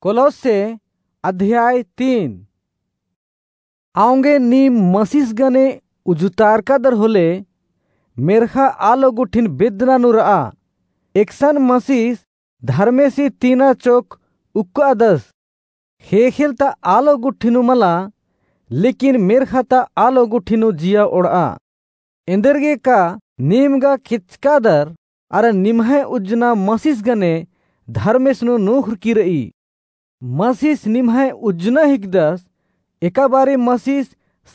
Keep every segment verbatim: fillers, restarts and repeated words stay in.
कोलोस्से अध्याय तीन। औंगे नीम मसीस गने उजुतारकादर होले, मेर्ख़ा आलो गुट्ठिन बेद्दना नू र'आ। एकसन मसीस धर्मेसी तीना चोक उक्कादस। ख़ेख़ेल ता आलो गुट्ठी नू मला, लेकिन मेर्ख़ा ता आलो गुट्ठी नू जिया ओड़'आ। एन्देरगे का नीम गा केचकादर, अरा निम्है उज्जना मसीस गने धर्मेस नू नूख़रकी र'ई। मसीस निम्है उज्जना हिकदस, एका बारी मसीस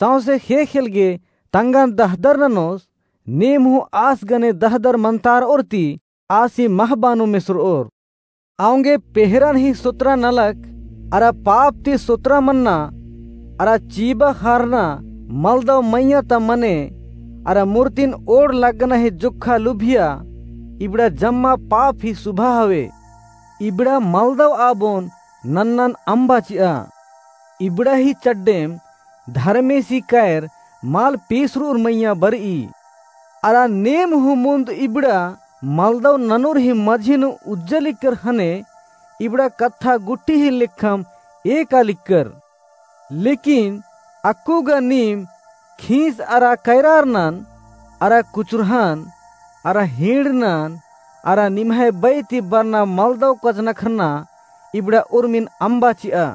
सौंसे ख़ेख़ेल गे तंगन दहदर ननोस, नीम हूँ आस गने दहदर मंतार'ओर ती आसी महबा नू मेसर'ओर। औंगे पेहरन ही सोतरा नलख, अरा पाप ती सोतरा मन्ना, अरा चीबा ख़ारना मलदव मइय्याँ ता मने, अरा मूर्तिन ओड़ लग्गना ही जोक्खा लुभिया, इबड़ा जम्मा पाप ही सुभा हवे। इबड़ा मलदव आबोन नन्नन अम्बा चि'आ। इबड़ा ही चड्डेम धर्मेसी कैर मल पेसर'ओर मइय्याँ बर'ई। अरा नीम हूँ मुन्द इबड़ा मलदव ननोर ही मझी नू उज्जा लिक्कर ख़ने इबड़ा कत्था गुट्ठी ही लेखम एका लिक्कर। लेकिन अक्कु गा नीम खींस अरा कैरारनन, अरा कुचुरहन, अरा हींड़नन, अरा निम्है बई ती बरना मलदव कजनखरना इबड़ा उर्मिन अम्बा चि'आ।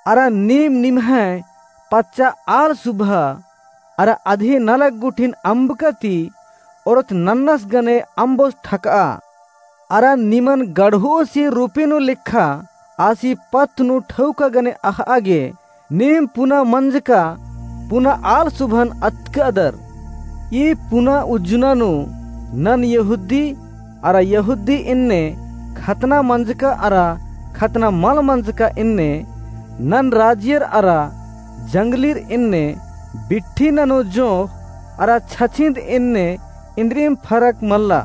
अरा नीम निम्है पच्चा आल सुभा, अरा अधे नलख गुट्ठिन अम्बका ती ओरत नन्नस गने अम्बोस ठक'आ। अरा निमन गढ़ोसी रूपी नू लेखा आसी पत्त नू ठौका गने अख़'आ गे, नीम पुना मंजका पुना आल सुभन अतकादर। ई पुना उज्जना नू नन यहूदी अरा यहूदी एन्ने, खतना मंजका अरा खतना मल मंजका एन्ने, नन राजियर अरा जंगलीर एन्ने, बिट्ठी ननोर जोंख़ अरा छछिंद एन्ने इन्द्रिम फरक मल्ला।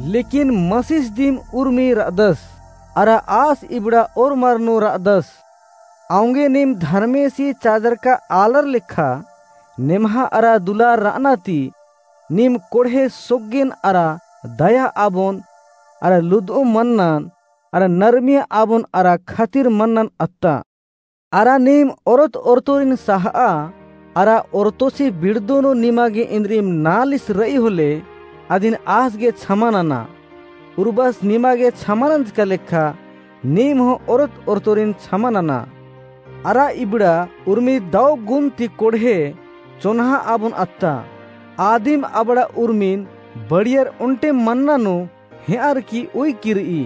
लेकिन मसीस दिम उर्मी र'अदस, अरा आस इबड़ा ओर्मर नू र'अदस। औंगे नीम धर्मेसी चाजरका आलर लेखा नेम्हा अरा दुलार र'अना ती, नीम कोड़हे सोग्गिन अरा दया आबोन, अरा लुद'उम मन्नन, अरा नरमिया आबोन अरा खतिर मन्नन अत्ता। अरा नीम ओरत ओरतोरिन स'ह'आ, अरा ओरतोसी बिड़दो नू निमा गे इन्द्रिम नालिस र'ई होले, अदिन आस गे छमा नना। उर्बस निमा गे छमा नंजका लेखा, नीम हूँ ओरत ओरतोरिन छमा नना। अरा इबड़ा उर्मी दौ गुन ती कोड़हे चोन्हा आबोन अत्ता। आदिम अबड़ा उर्मिन बड़ियर ओन्टे मन्ना नू हेंअर की उइकी र'ई।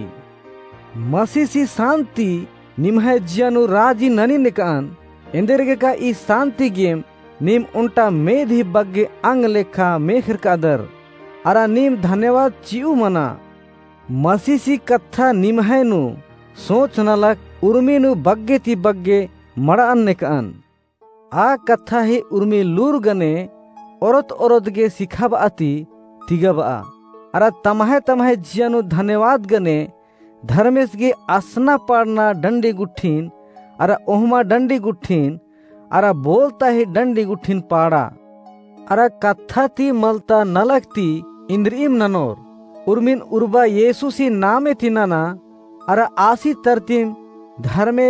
मसीसी सान्ति निम्है जिया नू राजी ननी नेक'अन, एन्देरगे का ई सान्ति गेम नीम ओन्टा मेद ही बग्गे अंग लेखा मेख़रकादर, अरा नीम धन्यवाद चि'ऊ मना। मसीसी कत्था निम्है नू सोच नलख उर्मी नू बग्गे ती बग्गे मड़'अन नेक'अन। आ कत्था ही उर्मी लूर गने ओरत ओरत गे सिखाब'आ ती तिगाब'आ। अरा तम्है तम्है जिया नू धन्यवाद गने धर्मेस गे असना पाड़ना डंडी गुट्ठिन, अरा ओहमा डंडी गुट्ठिन, अरा बोलता ही डंडी गुट्ठिन पाड़ा। अरा कत्था ती मलता नलख ती इन्द्रिम ननोर, उर्मिन उर्बा येसुसी नामे ती नना, अरा आसी तरतिम धर्मे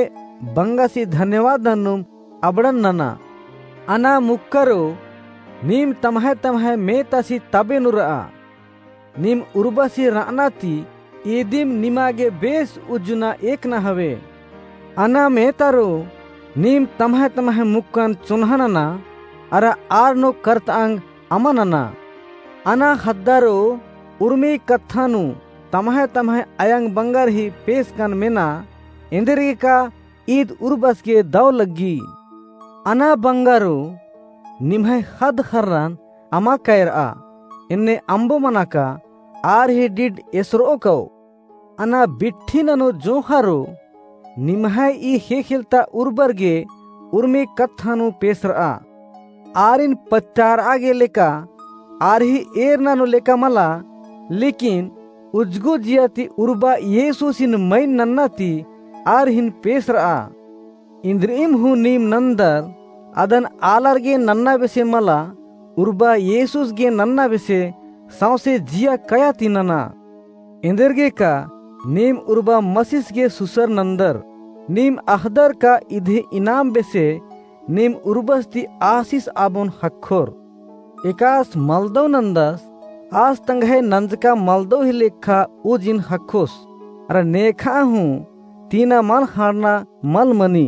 बंगासी धन्यवाद नन्नुम अबड़न नना। अना मुक्करो, नीम तम्है तम्है मेतासी तबे नू र'आ। नीम उर्बासी र'अना ती इदिम निमा गे बेस उज्जना एकना हवे। अना मेतारो, नीम तम्है तम्है मुक्कन चोन्हा नना, अरा आर नू करत'अंग अमा नना। अना ख़द्दारो, उर्मी कत्था नू तम्है तम्है अयंग बंगर ही पेसकन मेना, एन्देरगे का ईद उर्बस गे दौ लग्गी। अना बंगारो, निम्है ख़द्द ख़र्रन अमा कैर'आ, एन्ने अम्बो मना का, आर ही डिड एसर'ओ कौ। अना बिट्ठी ननोर जोंख़ारो, निम्है ई ख़ेख़ेलता उर्बर गे उर्मी कत्था नू पेसर'आ। आरिन पत्तार'आ गे लेका, आर ही एरना नू लेका मला, लेकिन उज्जगो जिया ती उर्बा येसुसिन मइन नन्ना ती आर हिन पेसर'आ। इन्द्रिम हूँ नीम नन्दर, अदन आलर गे नन्ना बेसे मला, उर्बा येसुस गे नन्ना बेसे सौंसे जिया कया ती नना। एन्देरगे का नीम उर्बा मसीस गे सुसर नन्दर, नीम अख़दर का इदी इनाम बेसे नीम उर्बस ती आसिस आबोन ख़क्खोर। एकास मलदौ नन्दस, आस तंग्है नंजका मलदौ ही लेखा उजिन ख़क्खोस। अरा नेखा हूँ तीना मल ख़ंड़ना मल मनी।